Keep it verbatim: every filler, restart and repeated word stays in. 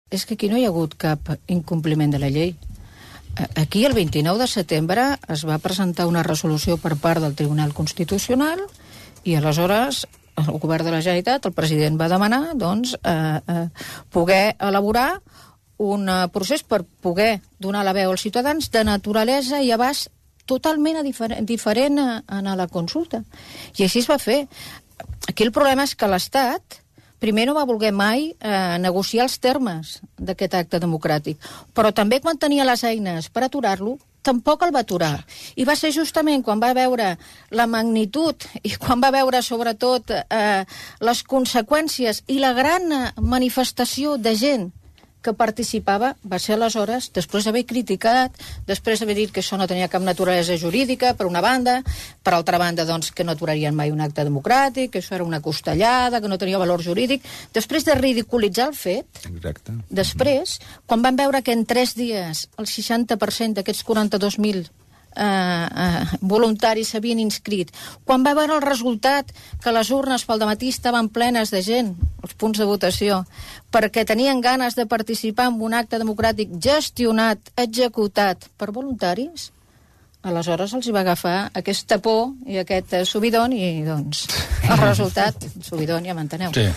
és que aquí no hi ha hagut cap incompliment de la llei. Aquí, el vint-i-nou de setembre, es va presentar una resolució per part del Tribunal Constitucional i, aleshores, el govern de la Generalitat, el president va demanar, doncs, eh, eh, poder elaborar un procés per poder donar la veu als ciutadans de naturalesa i abast totalment diferent, diferent a, a la consulta. I així es va fer. Aquí el problema és que l'Estat primer no va voler mai eh, negociar els termes d'aquest acte democràtic, però també quan tenia les eines per aturar-lo, tampoc el va aturar. I va ser justament quan va veure la magnitud i quan va veure, sobretot, eh, les conseqüències i la gran manifestació de gent que participava, va ser aleshores, després d'haver criticat, després d'haver dit que això no tenia cap naturalesa jurídica, per una banda, per altra banda, doncs, que no aturarien mai un acte democràtic, que això era una costellada, que no tenia valor jurídic, després de ridiculitzar el fet, exacte, després, quan van veure que en tres dies el seixanta per cent d'aquests quaranta-dos mil Eh, eh, voluntaris s'havien inscrit, quan va veure el resultat que les urnes pel dematí estaven plenes de gent, els punts de votació, perquè tenien ganes de participar en un acte democràtic gestionat, executat per voluntaris, aleshores els hi va agafar aquesta por i aquest subidon i, doncs, el resultat, subidon, ja m'enteneu. Sí.